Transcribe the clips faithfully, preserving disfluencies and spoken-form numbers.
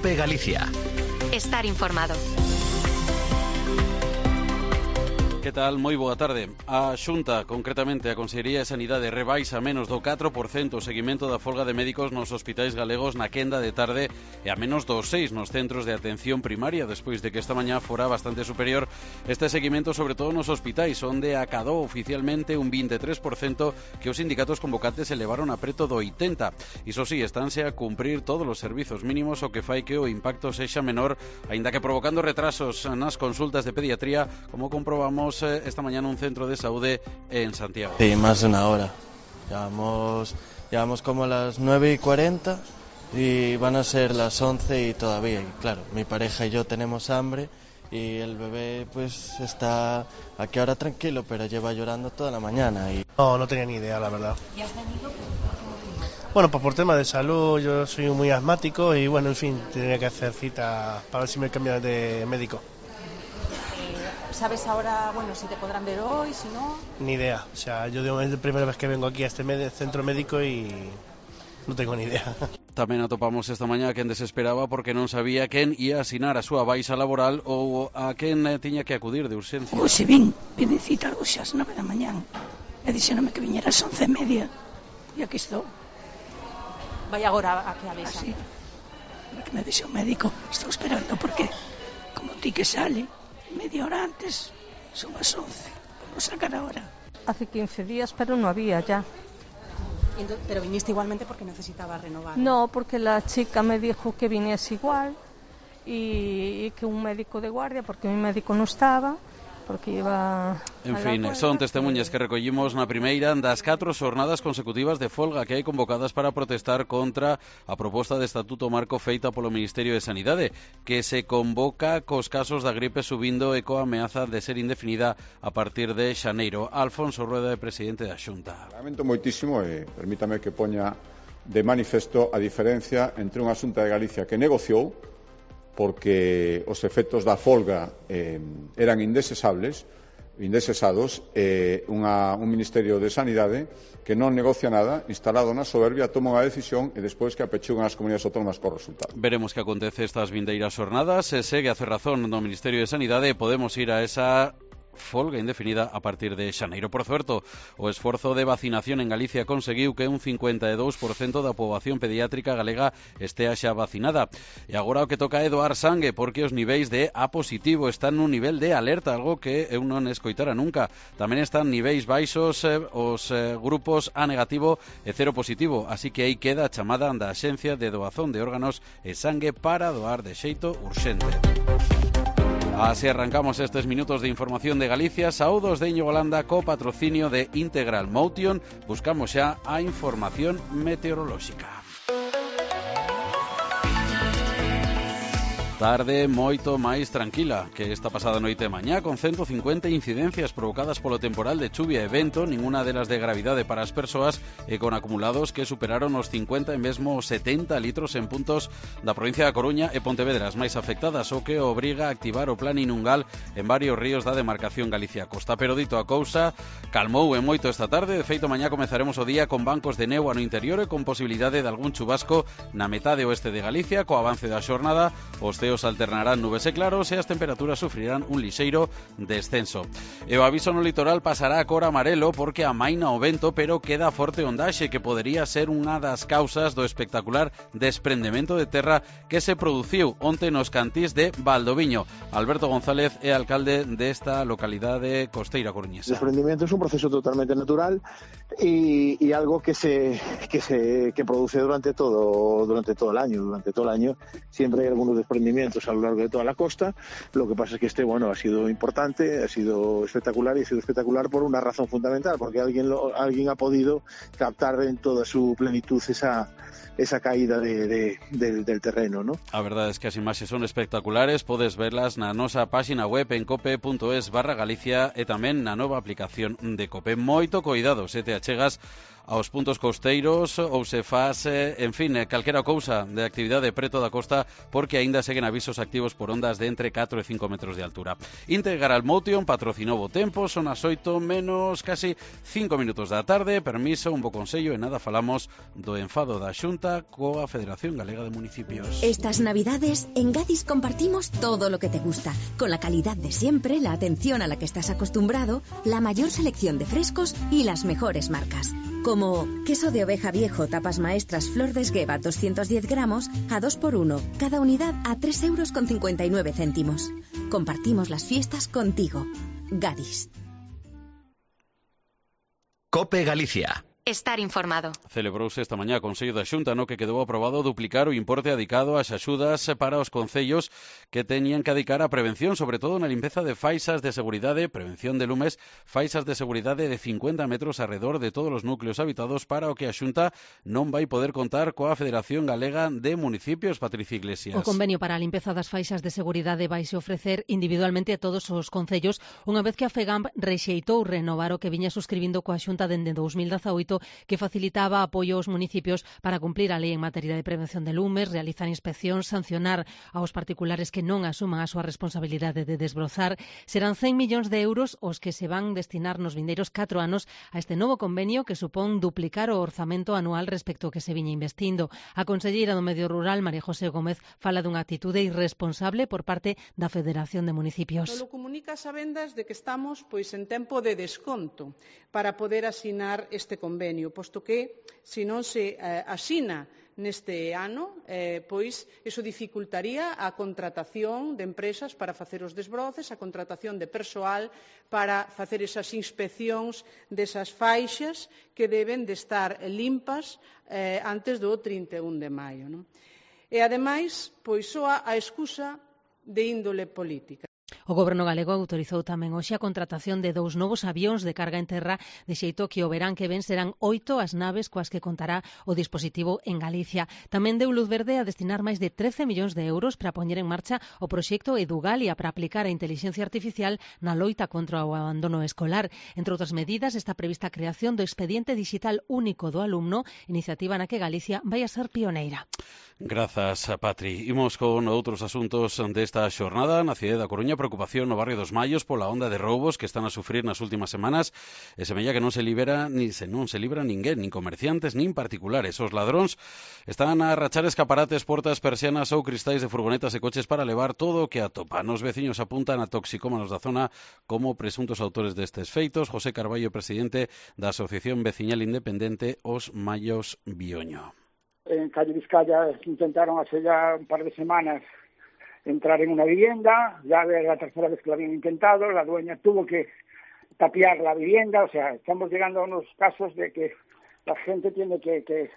COPE Galicia. Estar informado. Que tal? Moi boa tarde. A Xunta, concretamente a Consellería de Sanidade, rebaixa menos do catro por cento o seguimento da folga de médicos nos hospitais galegos na quenda de tarde e a menos do seis nos centros de atención primaria, despois de que esta mañá fora bastante superior este seguimento, sobre todo nos hospitais, onde acadou oficialmente un veintitrés por cento que os sindicatos convocantes elevaron a preto do oitenta por cento. Iso sí, estánse a cumprir todos os servizos mínimos, o que fai que o impacto sexa menor, aínda que provocando retrasos nas consultas de pediatría, como comprobamos esta mañana un centro de saúde en Santiago. Sí, más de una hora. Llevamos, llevamos como las nueve y cuarenta y van a ser las once y todavía. Y claro, mi pareja y yo tenemos hambre y el bebé pues está aquí ahora tranquilo, pero lleva llorando toda la mañana. Y... No, no tenía ni idea, la verdad. ¿Y has venido? Bueno, pues por tema de salud, yo soy muy asmático y bueno, en fin, tenía que hacer cita para ver si me cambian de médico. ¿Sabes ahora, bueno, si te podrán ver hoy, si no? Ni idea, o sea, yo digo, es la primera vez que vengo aquí a este med- centro médico y non tengo ni idea. Tamén atopamos esta mañá a quen desesperaba porque non sabía quen ia asinar a súa baixa laboral ou a quen tiña que acudir de urxencia. Hoxe vin, vin cita hoxe ás nove da mañán e dixéronme que viñera ás once e media e aquí estou. Vai agora a que avisa. Así, que me dixe o médico, estou esperando porque como ti que sale media hora antes, son as once, vamos a sacar ahora. Hace quince días, pero no había ya. Entonces, pero viniste igualmente porque necesitaba renovar. No, porque la chica me dijo que viniese igual y, y que un médico de guardia, porque mi médico no estaba, porque iba... En fin, son testemunhas que recollimos na primeira das catro xornadas consecutivas de folga que hai convocadas para protestar contra a proposta de estatuto marco feita polo Ministerio de Sanidade, que se convoca cos casos da gripe subindo e coa ameaza de ser indefinida a partir de xaneiro. Alfonso Rueda, presidente da Xunta. Lamento moitísimo e permítame que poña de manifesto a diferencia entre unha Xunta de Galicia que negociou porque os efectos da folga eh, eran indesesables, indesesados, e unha, un Ministerio de Sanidade que non negocia nada, instalado na soberbia, toma unha decisión e despois que apechugan as comunidades autónomas co resultado. Veremos que acontece estas vindeiras xornadas, se segue a cerrazón no Ministerio de Sanidade e podemos ir a esa folga indefinida a partir de xaneiro. Por certo, o esforzo de vacinación en Galicia conseguiu que un cincuenta e dous por cento da poboación pediátrica galega estea xa vacinada. E agora o que toca é doar sangue, porque os niveis de A positivo están nun nivel de alerta, algo que eu non escoitara nunca. Tamén están niveis baixos eh, os eh, grupos A negativo e cero positivo, así que aí queda a chamada da Axencia de Doazón de Órganos e Sangue para doar de xeito urxente. Así arrancamos estes minutos de información de Galicia. Saúdos de Íñigo Landa co patrocinio de Integral Motion. Buscamos xa a información meteorolóxica. Tarde moito máis tranquila que esta pasada noite e mañá, con ciento cincuenta incidencias provocadas polo temporal de chuvia e vento, ninguna delas de gravidade para as persoas e con acumulados que superaron os cincuenta e mesmo os setenta litros en puntos da provincia da Coruña e Pontevedra, as máis afectadas, o que obriga a activar o plan inungal en varios ríos da demarcación Galicia-Costa. Pero dito a cousa, calmou e moito esta tarde. De feito, mañá comezaremos o día con bancos de néboa no interior e con posibilidade de algún chubasco na metade oeste de Galicia. Co avance da xornada, os ceos alternarán nubes e claros e as temperaturas sufrirán un lixeiro descenso. E o aviso no litoral pasará a cor amarelo porque amaina o vento, pero queda forte ondaxe que podería ser unha das causas do espectacular desprendemento de terra que se produciu onte nos cantís de Valdoviño. Alberto González é alcalde desta localidade costeira coruñesa. El desprendimiento es un proceso totalmente natural y, y algo que se que se que produce durante todo durante todo el año, durante todo el año siempre hay algunos desprendimientos a lo largo de toda la costa. Lo que pasa es que este, bueno, ha sido importante, ha sido espectacular y ha sido espectacular por una razón fundamental, porque alguien lo, alguien ha podido captar en toda su plenitud esa esa caída de, de, de, del terreno, ¿no? A verdade é que as imaxes son espectaculares, podes verlas na nosa páxina web en cope punto es barra Galicia e tamén na nova aplicación de Cope. Moito coidado se te achegas aos puntos costeiros ou se faz, en fin, calquera cousa de actividade preto da costa, porque aínda seguen avisos activos por ondas de entre catro e cinco metros de altura. Integral Motion patrocinou o tempo, son as oito menos casi cinco minutos da tarde. Permiso, un bo consello e nada falamos do enfado da Xunta coa Federación Galega de Municipios. Estas navidades en Gadis compartimos todo lo que te gusta, con la calidad de siempre, la atención a la que estás acostumbrado, la mayor selección de frescos y las mejores marcas. Como queso de oveja viejo, tapas maestras, flor de esgueva, doscientos diez gramos a dos por uno, cada unidad a tres euros con cincuenta y nueve céntimos. Compartimos las fiestas contigo. Gadis. COPE Galicia. Estar informado. Celebrouse esta mañá o Consello da Xunta, no que quedou aprobado duplicar o importe adicado ás axudas para os concellos que teñan que adicar a prevención, sobre todo na limpeza de faixas de seguridade, prevención de lumes, faixas de seguridade de cincuenta metros alrededor de todos os núcleos habitados, para o que a Xunta non vai poder contar coa Federación Galega de Municipios. Patricia Iglesias. O convenio para a limpeza das faixas de seguridade vaise ofrecer individualmente a todos os concellos, unha vez que a FEGAMP rexeitou renovar o que viña suscribindo coa Xunta dende dous mil dezaoito, que facilitaba apoio aos municipios para cumplir a lei en materia de prevención de lumes, realizar inspeccións, sancionar aos particulares que non asuman a súa responsabilidade de desbrozar. Serán cen millóns de euros os que se van destinar nos vindeiros catro anos a este novo convenio, que supón duplicar o orzamento anual respecto ao que se viña investindo. A conselleira do Medio Rural, María José Gómez, fala dunha actitude irresponsable por parte da Federación de Municipios. Solo comunica a sabendas de que estamos pois en tempo de desconto para poder asinar este convenio, posto que, se non se eh, asina neste ano, eh, pois iso dificultaría a contratación de empresas para facer os desbroces, a contratación de persoal para facer esas inspeccións desas faixas que deben de estar limpas eh, antes do trinta e un de maio. Non? E, ademais, pois soa a excusa de índole política. O Goberno galego autorizou tamén hoxe a contratación de dous novos avións de carga en terra, de xeito que o verán que ven serán oito as naves coas que contará o dispositivo en Galicia. Tamén deu luz verde a destinar máis de trece millóns de euros para poñer en marcha o proxecto Edugalia para aplicar a inteligencia artificial na loita contra o abandono escolar. Entre outras medidas, está prevista a creación do expediente digital único do alumno, iniciativa na que Galicia vai a ser pioneira. Grazas, Patri. Imos con outros asuntos desta xornada. Na cidade da Coruña, preocupación no barrio dos Mallos pola onda de roubos que están a sufrir nas últimas semanas, e semella que non se libera ni se non se libra ninguén, nin comerciantes, nin particulares. Os ladróns están a rachar escaparates, portas, persianas ou cristais de furgonetas e coches para levar todo o que atopan. Os veciños apuntan a toxicómanos da zona como presuntos autores destes feitos. José Carballo, presidente da Asociación Veciñal Independente Os Mallos Bioño. En calle Vizcaya intentaron hace ya un par de semanas entrar en una vivienda, ya era la tercera vez que lo habían intentado, la dueña tuvo que tapiar la vivienda, o sea, estamos llegando a unos casos de que la gente tiene que, que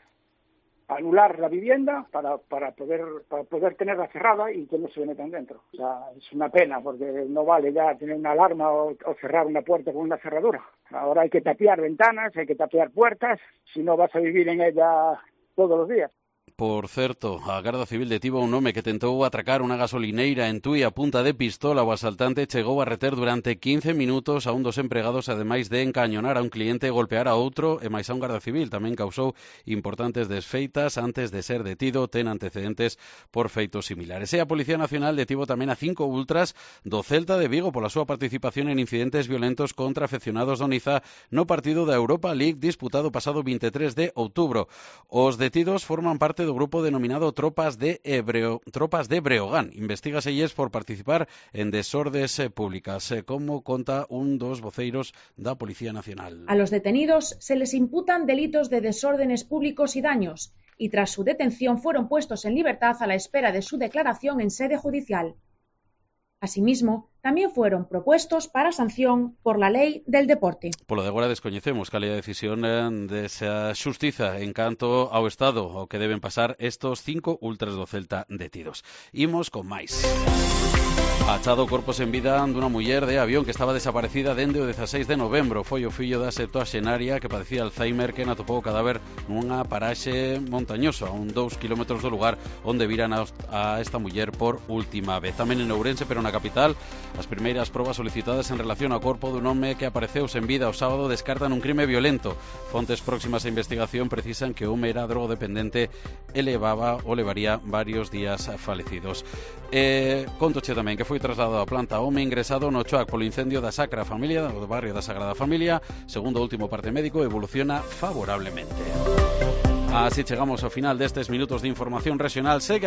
anular la vivienda para, para, poder, para poder tenerla cerrada y que no se metan dentro. O sea, es una pena porque no vale ya tener una alarma o, o cerrar una puerta con una cerradura. Ahora hay que tapiar ventanas, hay que tapiar puertas, si no vas a vivir en ella todos los días. Por certo, a Garda Civil detivo a un home que tentou atracar unha gasolineira en Tui a punta de pistola. O asaltante chegou a reter durante quince minutos a un dos empregados, ademais de encañonar a un cliente e golpear a outro, e máis a un Garda Civil. Tamén causou importantes desfeitas antes de ser detido, ten antecedentes por feitos similares. E a Policía Nacional detivo tamén a cinco ultras do Celta de Vigo pola súa participación en incidentes violentos contra afeccionados do Niza no partido da Europa League disputado pasado vinte e tres de outubro. Os detidos forman parte do grupo denominado Tropas de Ebreo, Tropas de Breogán. Investígaselles por participar en desordes públicas, como conta un dos voceiros da Policía Nacional. A los detenidos se les imputan delitos de desórdenes públicos y daños, y tras su detención fueron puestos en libertad a la espera de su declaración en sede judicial. Asimismo, tamén fueron propuestos para sanción por la lei del deporte. Polo de agora descoñecemos cal é a decisión desa xustiza en canto ao Estado ao que deben pasar estos cinco ultras do Celta detidos. Imos con máis. Achado corpos en vida dunha muller de Avión que estaba desaparecida dende o dezaseis de novembro. Foi o fillo da septuaxenaria que padecía Alzheimer que atopou o cadáver nunha paraxe montañosa a un dous kilómetros do lugar onde viran a esta muller por última vez. Tamén en Ourense, pero na capital, as primeiras probas solicitadas en relación ao corpo dun home que apareceu sen vida o sábado descartan un crime violento. Fontes próximas á investigación precisan que o home era drogodependente e levaba ou levaría varios días falecidos. Eh, contoche tamén que foi trasladado a planta home ingresado no Choac polo incendio da Sacra Familia, do barrio da Sagrada Familia. Segundo o último parte médico, evoluciona favorablemente. Así chegamos ao final destes minutos de información regional. Segue